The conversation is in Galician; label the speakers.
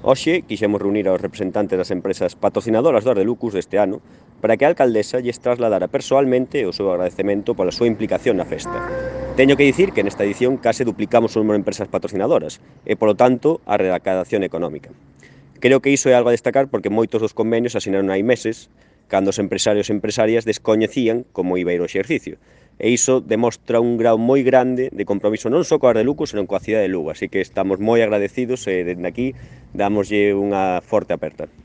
Speaker 1: Hoxe quixemos reunir aos representantes das empresas patrocinadoras do Ardelucus deste ano para que a alcaldesa lles trasladara persoalmente o seu agradecemento pola súa implicación na festa. Teño que dicir que nesta edición case duplicamos o número de empresas patrocinadoras e, polo tanto, a recadación económica. Creo que iso é algo a destacar porque moitos dos convenios asinaron hai meses cando os empresarios e empresarias descoñecían como iba a ir o exercicio. E iso demostra un grau moi grande de compromiso non só coa Ardelucus, senón coa cidade de Lugo. Así que estamos moi agradecidos e dende aquí damoslle unha forte aperta.